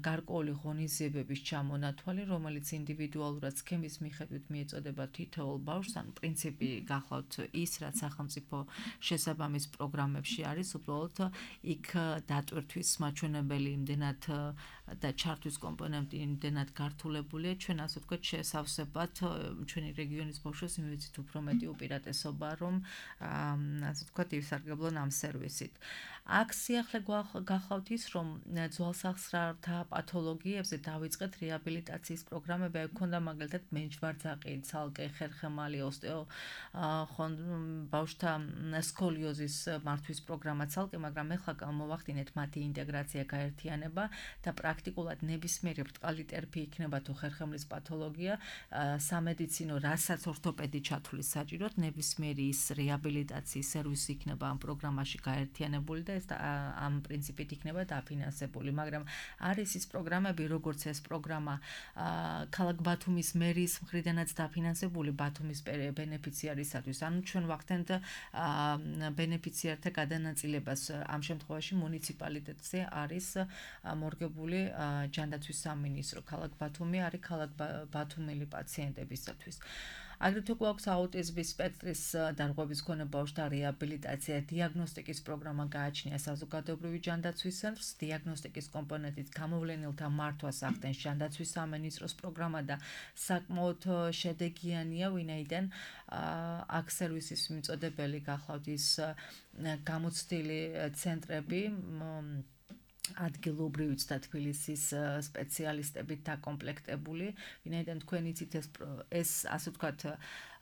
Speaker 4: გარკვეული ღონისძიებების ჩამონათვალი, რომელიც ინდივიდუალურად სქემის მიხედვით მიეწოდება თითოეულ ბავშვს, ან პრინციპი გახლავთ ის, რაც სახელმწიფო შესაბამის პროგრამებში არის, უბრალოდ იქ დატვირთვის მაჩვენებელი იმდენად და ჩართვის კომპონენტი იმდენად გართულებულია, ჩვენ ასე ვთქვათ შესავსებად ჩვენი რეგიონის ბავშვებს იმედით უფრო მეტი უპირატესობა, რომ ასე ვთქვათ ივსარგებლონ ამ სერვისით. აქ სიახლე გახლავთ ის, რომ ძვალსახსრათა პათოლოგიებზე დავიწყეთ რეაბილიტაციის პროგრამები, აი გქონდა მაგალითად მენჯვარძაყი, ცალკე, ხერხემალი, ოსტეო ბავშვთა სკოლიოზის მართვის პროგრამა ცალკე, მაგრამ ეხლა მოვახდინეთ მათი ინტეგრაცია, გაერთიანება და პრაქტიკულად ნებისმიერი ბრტყალი ტერფი იქნება თუ ხერხემლის პათოლოგია, სამედიცინო, რასაც ორთოპედი ჩათვლის საჭიროდ, ნებისმიერი ის რეაბილიტაციის სერვისი იქნება ამ პროგრამაში გაერთიანებული და ეს ამ პრინციპით იქნება დაფინანსებული, მაგრამ არის ის პროგრამები, როგორც ეს პროგრამა ქალაქ ბათუმის მერის მხრიდანაც დაფინანსებული ბათუმის ბენეფიციარისათვის. ანუ ჩვენ ვახდენთ ბენეფიციართა გადანაწილებას, ამ შემთხვევაში მუნიციპალიტეტზე არის მორგებული ჯანდაცვის სამინისტრო. ქალაქ ბათუმი არის ქალაქ ბათუმელი პაციენტებისათვის. აგრეთვე გვაქვს აუტიზმის სპექტრის დარღვევის მქონე ბავშვთა რეაბილიტაცია, დიაგნოსტიკის პროგრამა გააჩნია საზოგადოებრივი ჯანდაცვის ცენტრს, დიაგნოსტიკის კომპონენტით გამოვლენილთა მართვას ახდენს ჯანდაცვის სამინისტროს პროგრამა და საკმაოდ შედეგიანია, ვინაიდან აქ სერვისის მიწოდებელი გახლავთ ის გამოცდილი ცენტრები, ადგილობრივიც და თბილისის სპეციალისტებით დაკომპლექტებული, ვინაიდან თქვენ იცით ეს ეს ასე ვთქვათ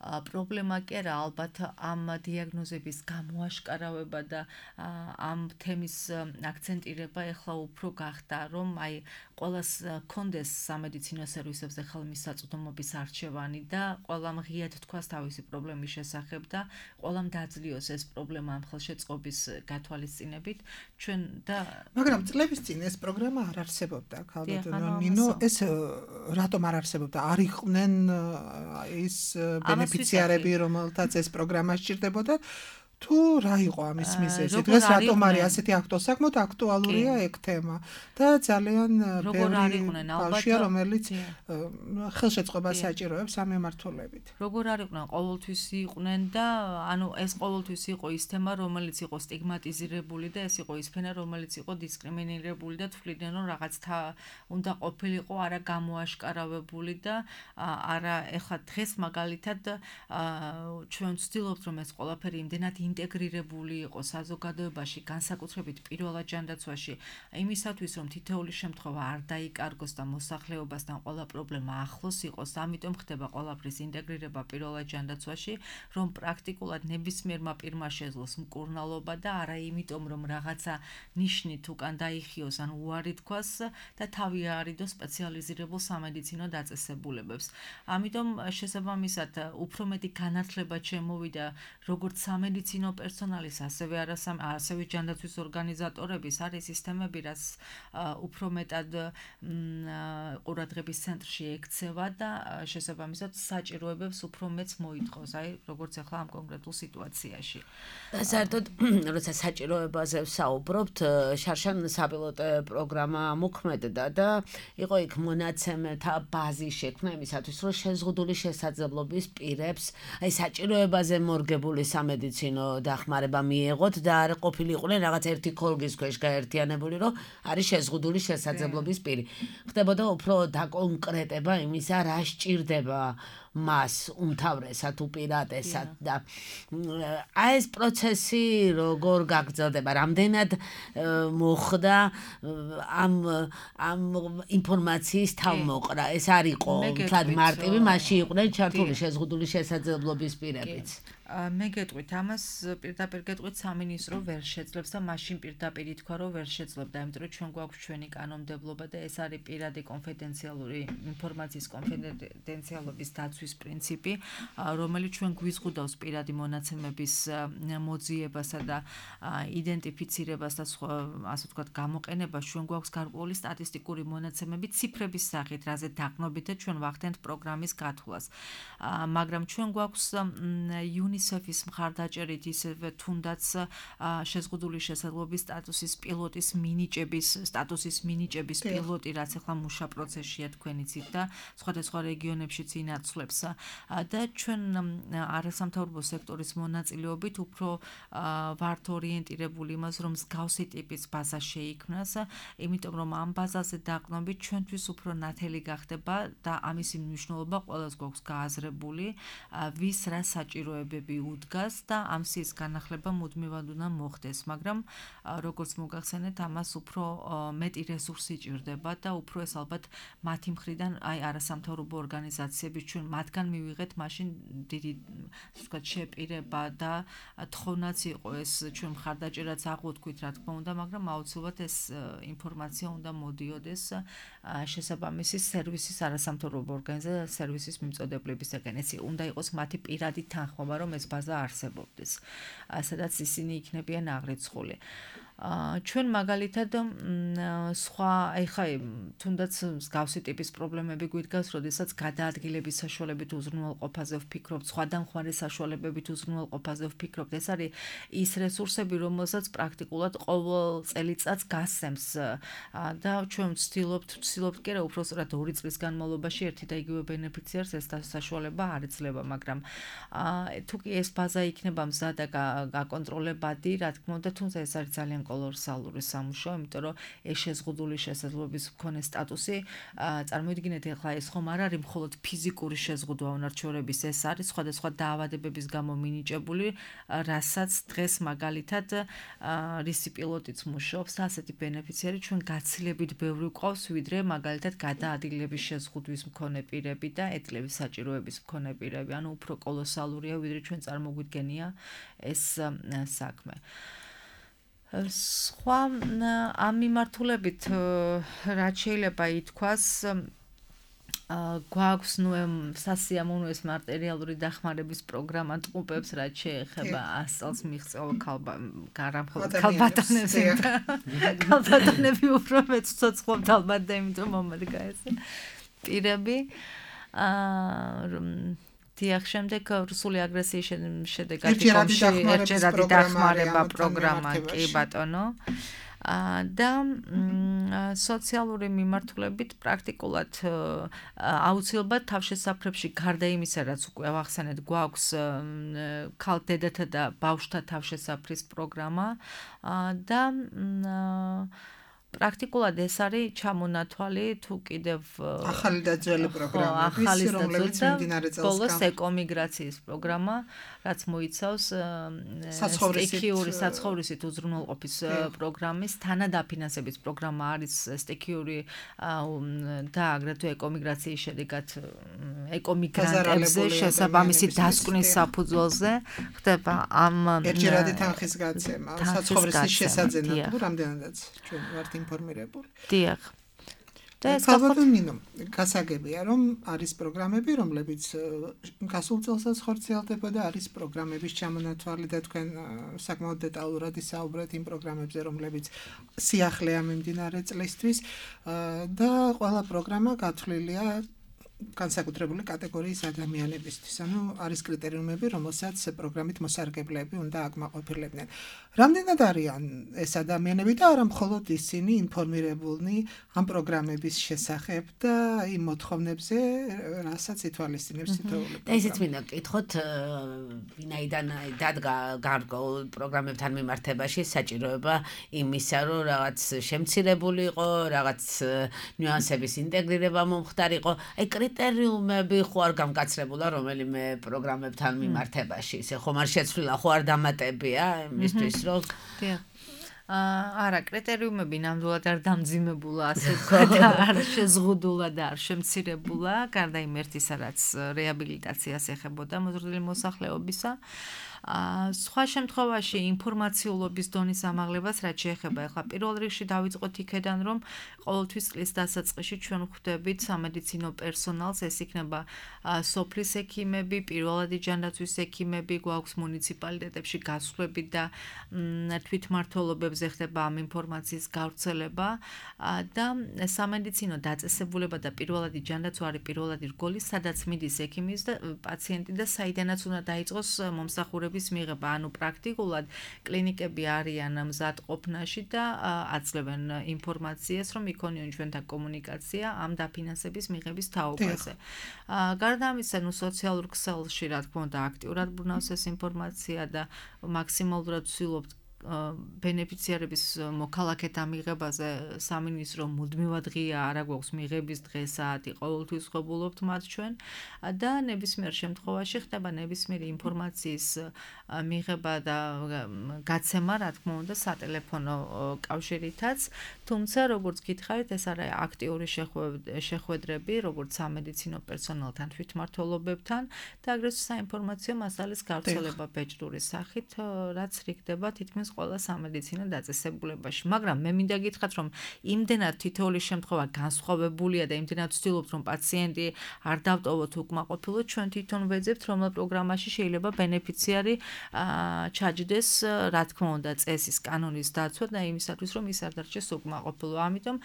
Speaker 4: პრობლემა კი არა, ალბათ ამ დიაგნოზების გამოაშკარავება და ამ თემის აქცენტირება ეხლა უფრო გახდა, რომ აი ყველას კონდეს სამედიცინო სერვისებზე ხელმისაწვდომობის არჩევანი და ყველამ ღიად თქვას თავისი პრობლემის შესახებ და ყველამ დაძლიოს ეს პრობლემა ამ ხელშეწყობის გათვალისწინებით. ჩვენ და
Speaker 3: მაგრამ წლების წინ ეს პროგრამა არ არსებობდა, ქალბატონო ნინო, ეს რატომ არ არსებობდა? არ იყვნენ ის ბენეფიციარები, რომელთაც ეს პროგრამა სჭირდებოდა? თუ რა იყო ამის მიზეზი? დღეს რატომ არის ასეთი აქტუალური, საკმაოდ აქტუალურია ეგ თემა და ძალიან ბევრი ბავშვია, რომელიც ხელშეწყობას საჭიროებს ამ მიმართულებით.
Speaker 4: როგორ არ იყვნენ, ყოველთვის იყვნენ და ანუ ეს ყოველთვის იყო ის თემა, რომელიც იყო სტიგმატიზირებული და ეს იყო ის ფენა, რომელიც იყო დისკრიმინირებული და თვლიდნენ, რომ რაღაც უნდა ყოფილიყო არა გამოაშკარავებული და არა ეხლა დღეს მაგალითად ჩვენ ვცდილობთ, რომ ეს ყველაფერი იმდენად ინტეგრირებული იყო საზოგადოებაში, განსაკუთრებით პირველად ჯანდაცვაში, იმისათვის, რომ თითოეული შემთხვევა არ დაიკარგოს და მოსახლეობასთან ყველა პრობლემა ახლოს იყოს, ამიტომ ხდება ყველაფრის ინტეგრირება პირველად ჯანდაცვაში, რომ პრაქტიკულად ნებისმიერმა პირმა შეძლოს მკურნალობა და არა იმიტომ, რომ რაღაცა ნიშნით უკან დაიხიოს ან უარი თქვას და თავი აარიდოს სპეციალიზირებულ სამედიცინო დაწესებულებებს. ამიტომ შესაბამისად უფრო მეტი განათლება შემოვიდა როგორც სამედიცინო სამედიცინო პერსონალის, ასევე არასამ ასევე ჯანდაცვის ორგანიზატორების არის სისტემები, რაც უფრო მეტად ყურადღების ცენტრში ექცევა და შესაბამისად საჭიროებებს უფრო მეც მოითხოვს, აი როგორც ახლა ამ კონკრეტულ სიტუაციაში.
Speaker 2: და საერთოდ როცა საჭიროებაზე ვსაუბრობთ, შარშან საპილოტო პროგრამა მოქმედდა და იყო იქ მონაცემთა ბაზი შექმნა იმისათვის, რომ შეზღუდული შესაძლებლობის პირებს აი საჭიროებაზე მორგებული სამედიცინო დახმარება მიეღოთ და არ ყოფილიყვნენ რაღაც ერთი ქოლგის ქვეშ გაერთიანებული, რომ არის შეზღუდული შესაძლებლობის პირი. ხდებოდა უფრო დაკონკრეტება იმისა, რა სჭირდება მას უმთავრესად უპირატესად და აი ეს პროცესი როგორ გაგრძელდება, რამდენად მოხდა ამ ამ ინფორმაციის თავმოყრა, ეს არ იყო თლად მარტივი, მასში იყვნენ ჩართული შეზღუდული შესაძლებლობის პირებიც.
Speaker 4: მე გეტყვით, ამას პირდაპირ გეტყვით სამინისტრო ვერ შეძლებს და მაშინ პირდაპირ ითქვა, რომ ვერ შეძლებდა, იმიტომ რომ ჩვენ გვაქვს ჩვენი კანონმდებლობა და ეს არის პირადი კონფიდენციალური ინფორმაციის კონფიდენციალობის დაცვის პრინციპი, რომელიც ჩვენ გვიზღუდავს პირადი მონაცემების მოძიებასა და იდენტიფიცირებას და სხვა, ასე ვთქვათ, გამოყენებას. ჩვენ გვაქვს გარკვეული სტატისტიკური მონაცემები ციფრების სახით, რაზე დაგნობით და ჩვენ ვახდენთ პროგრამის გათვლას. მაგრამ ჩვენ გვაქვს UNICEF-ის მხარდაჭერით ისევე თუნდაც შეზღუდული შესაძლებლობის სტატუსის პილოტის მინიჭების სტატუსის მინიჭების პილოტი, რაც ახლა მუშა პროცესშია თქვენ იცით და სხვადასხვა რეგიონებშიც ინაცვლებს და ჩვენ არასამთავრობო სექტორის მონაწილეობით უფრო ვართ ორიენტირებული იმას, რომ მსგავსი ტიპის ბაზა შეიქმნას, იმიტომ რომ ამ ბაზაზე დაყრდნობით ჩვენთვის უფრო ნათელი გახდება და ამისი მნიშვნელობა ყველას გვაქვს გააზრებული, ვის რა საჭიროებები უდგას და ამ სიის განახლება მუდმივად უნდა მოხდეს, მაგრამ როგორც მოგახსენეთ, ამას უფრო მეტი რესურსი ჭირდება და უფრო ეს ალბათ მათი მხრიდან, აი არასამთავრობო ორგანიზაციების ჩვენ მათგან მივიღეთ მაშინ დიდი, ასე ვთქვათ, შეპირება და თხოვნაც იყო ეს ჩვენ მხარდაჭერაც აღვთქვით, რა თქმა უნდა, მაგრამ აუცილებლად ეს ინფორმაცია უნდა მოდიოდეს შესაბამისი სერვისის არასამთავრობო ორგანიზაციის სერვისის მიმწოდებლებისგან. ეს უნდა იყოს მათი პირადი თანხმობა, რომ ეს ბაზა არსებობდეს, სადაც ისინი იქნებიან აღრიცხული. ჩვენ მაგალითად სხვა ეხა თუნდაც მსგავსი ტიპის პრობლემები გვიდგას, როდესაც გადაადგილების საშუალებით უზრუნველყოფაზე ვფიქრობთ, სხვადასხვა საშუალებებით უზრუნველყოფაზე ვფიქრობთ. ეს არის ის რესურსები, რომელსაც პრაქტიკულად ყოველ წელიწადს გასცემს და ჩვენ ვცდილობთ, ვცდილობთ კი არა, უბრალოდ ორი წლის განმავლობაში ერთი და იგივე ბენეფიციარს ეს საშუალება არ ეძლევა, მაგრამ თუ კი ეს ბაზა იქნება მზად და გაკონტროლებადი, რა თქმა უნდა, თუმცა ეს არის ძალიან კოლოსალური სამუშაო, იმიტომ რომ ეს შეზღუდული შესაძლებლობის მქონე სტატუსი, წარმოიდგინეთ, ახლა ეს ხომ არ არის მხოლოდ ფიზიკური შეზღუდვა უნარჩვევების, ეს არის სხვადასხვა დაავადებების გამო მინიჭებული, რასაც დღეს მაგალითად რისი პილოტიც მუშაობს, ასეთი ბენეფიციარი ჩვენ გაცილებით ბევრი გვყავს, ვიდრე მაგალითად გადაადგილების შეზღუდვის მქონე პირები და ეტლების საჭიროების მქონე პირები, ანუ უფრო კოლოსალურია, ვიდრე ჩვენ წარმოგვიდგენია ეს საქმე. სხვა ამ მიმართულებით რაც შეიძლება ითქვას, გვაქვს ნუ სასიამოვნო ეს მატერიალური დახმარების პროგრამა ტყუპებს, რაც შეეხება ას წელს მიღწეულ გარამხოლოდ ქალბატონებს. ქალბატონები უფრო მეც ცოცხლობთ ალბათ და იმიტომ მომერგა ეს პირები. დიახ, შემდეგ რუსული აგრესიის შედეგად ერთჯერადი დახმარება პროგრამა, კი ბატონო. და სოციალური მიმართულებით პრაქტიკულად აუცილებლად თავშესაფრებში გარდა იმისა, რაც უკვე ავახსენეთ, გვაქვს ქალდედათა და ბავშვთა თავშესაფრის პროგრამა და პრაქტიკულად ეს არის ჩამონათვალი თუ კიდევ
Speaker 3: ახალი და ძველი პროგრამები, რომლებიც მიმდინარე წელს
Speaker 4: ბოლოს ეკომიგრაციის პროგრამა, რაც მოიცავს სტიქიური საცხოვრისით უზრუნველყოფის პროგრამის თანადაფინანსების პროგრამა არის სტიქიური და აგრეთვე ეკომიგრაციის შედეგად ეკომიგრანტებზე შესაბამისი დასკვნის საფუძველზე ხდება ამ
Speaker 3: ერთჯერადი თანხის გაცემა, საცხოვრისის შესაძენად, რამდენადაც ჩვენ ვართ ინფორმირებული.
Speaker 4: დიახ. და ეს
Speaker 3: ალბათ ნინო გასაგებია რომ არის პროგრამები რომლებიც გასულ წელსაც ხორციელდება და არის პროგრამების ჩამონათვალი და თქვენ საკმაოდ დეტალურად ისაუბრეთ იმ პროგრამებზე რომლებიც სიახლეა მიმდინარე წლისთვის და ყველა პროგრამა გათვლილია განსაკუთრებული კატეგორიის ადამიანებისთვის. ანუ არის კრიტერიუმები, რომელსაც პროგრამით მოსარგებლეები უნდა აკმაყოფილებდნენ. რამდენად არიან ეს ადამიანები და არა მხოლოდ ისინი ინფორმირებულნი ამ პროგრამების შესახებ და იმ მოთხოვნებზე, რასაც ითვალისწინებს თითოეული პროგრამა.
Speaker 2: და ისიც მინდა ვკითხოთ, ვინაიდან დადგა გარკვეულ პროგრამებთან მიმართებაში საჭიროება იმისა, რომ რაღაც შემცირებული იყო, რაღაც ნიუანსების ინტეგრირება მომხდარიყო. აი კრიტერიუმები ხო არ გამკაცრებულა რომელიმე პროგრამებთან მიმართებაში. ისე ხომ არ შეცვლილა, ხო არ დამატებია იმისთვის, რომ
Speaker 4: არა, კრიტერიუმები ნამდვილად არ დამძიმებულა, ასე ვთქვათ, არ შეზღუდულა და არ შემცირებულა, გარდა იმ ერთისა, რაც რეაბილიტაციას ეხებოდა მოზრდილი მოსახლეობისა. სხვა შემთხვევაში ინფორმაციულობის დონის ამაღლებას რაც შეეხება ახლა პირველ რიგში დავიწყოთ იქედან რომ ყოველთვის წლის დასაწყისში ჩვენ ხვდებით სამედიცინო პერსონალს ეს იქნება სოფლის ექიმები, პირველადი ჯანდაცვის ექიმები, გვაქვს მუნიციპალიტეტებში გასვლები და თვითმმართველობებზე ხდება ამ ინფორმაციის გავრცელება და სამედიცინო დაწესებულება და პირველადი ჯანდაცვა არის პირველადი რგოლი, სადაც მიდის ექიმის და პაციენტი და საიდანაც უნდა დაიწყოს მომსახურების მიღება, ანუ პრაქტიკულად კლინიკები არიან მზად ყოფნაში და აძლევენ ინფორმაციას, რომ იქონიონ ჩვენთან კომუნიკაცია ამ დაფინანსების მიღების თაობაზე. გარდა ამისა, ნუ სოციალურ ქსელში, რა თქმა უნდა, აქტიურად ბრუნავს ეს ინფორმაცია და მაქსიმალურად ვცდილობთ ბენეფიციარების მოქალაქეთა მიღებაზე სამინისტრო მუდმივად ღია არა გვაქვს მიღების დღე საათი ყოველთვის ხვებულობთ მათ ჩვენ და ნებისმიერ შემთხვევაში ხდება ნებისმიერი ინფორმაციის მიღება და გაცემა რა თქმა უნდა სატელეფონო კავშირითაც თუმცა როგორც გითხარით ეს არის აქტიური შეხვედრები როგორც სამედიცინო პერსონალთან თვითმმართველობებთან და აგრეთვე საინფორმაციო მასალის გავრცელება ბეჭდური სახით რაც რიგდება თითქმის ყველა სამედიცინო დაწესებულებაში, მაგრამ მე მინდა გითხრათ, რომ იმდენად თითოეული შემთხვევა განსხვავებულია და იმდენად ვცდილობთ, რომ პაციენტი არ დავტოვოთ უკმაყოფილო, ჩვენ თვითონ ვეძებთ, რომ პროგრამაში შეიძლება ბენეფიციარი ჩაჯდეს, რა თქმა უნდა, წესის კანონის დაცვა და იმისათვის, რომ ის არ დარჩეს უკმაყოფილო. ამიტომ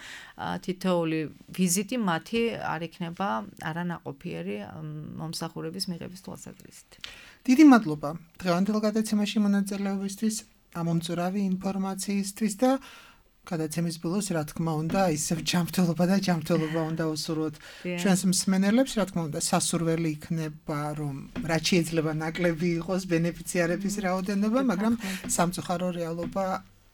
Speaker 4: თითოეული ვიზიტი მათი არ იქნება არანაყოფიერი მომსახურების მიღების თვალსაზრისით.
Speaker 3: დიდი მადლობა დღევანდელ გადაცემაში მონაწილეობისთვის. ამომწურავი ინფორმაციისთვის და გადაცემის ბოლოს რა თქმა უნდა ისევ ჯანმრთელობა და ჯანმრთელობა უნდა უსურვოთ ჩვენს მსმენელებს რა თქმა უნდა სასურველი იქნება რომ რაც შეიძლება ნაკლები იყოს ბენეფიციარების რაოდენობა მაგრამ სამწუხარო რეალობა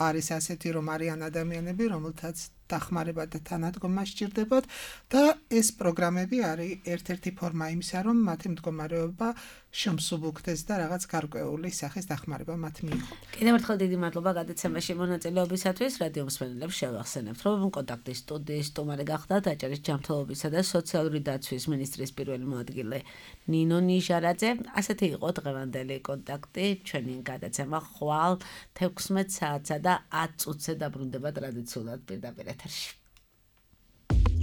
Speaker 3: არის ასეთი რომ არიან ადამიანები რომელთაც დახმარება და თანადგომა სჭირდებათ და ეს პროგრამები არის ერთ-ერთი ფორმა იმისა რომ მათი მდგომარეობა შემსუბუქდეს და რაღაც გარკვეული სახის დახმარება მათ მიიღონ.
Speaker 2: კიდევ ერთხელ დიდი მადლობა გადაცემაში მონაწილეობისათვის. რადიო მსმენელებს შევახსენებთ, რომ კონტაქტის სტუდიის სტუმარი გახდათ აჭარის ჯანმრთელობისა და სოციალური დაცვის მინისტრის პირველი მოადგილე ნინო ნიჟარაძე. ასეთი იყო დღევანდელი კონტაქტი. ჩვენი გადაცემა ხვალ თექვსმეტ საათსა და ათ წუთზე დაბრუნდება ტრადიციულად პირდაპირ ეთერში.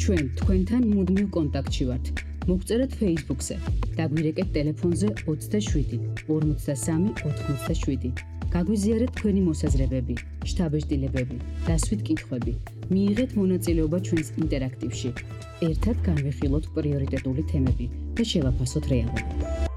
Speaker 1: ჩვენ თქვენთან მუდმივ კონტაქტში ვართ. მოგწერეთ Facebook-ზე, დაგვირეკეთ ტელეფონზე ოცდაშვიდი ორმოცდასამი ოთხმოცდაშვიდი. გაგვიზიარეთ თქვენი მოსაზრებები, შთაბეჭდილებები, დასვით კითხვები. მიიღეთ მონაწილეობა ჩვენს ინტერაქტივში. ერთად განვიხილოთ პრიორიტეტული თემები და შევაფასოთ რეალობა.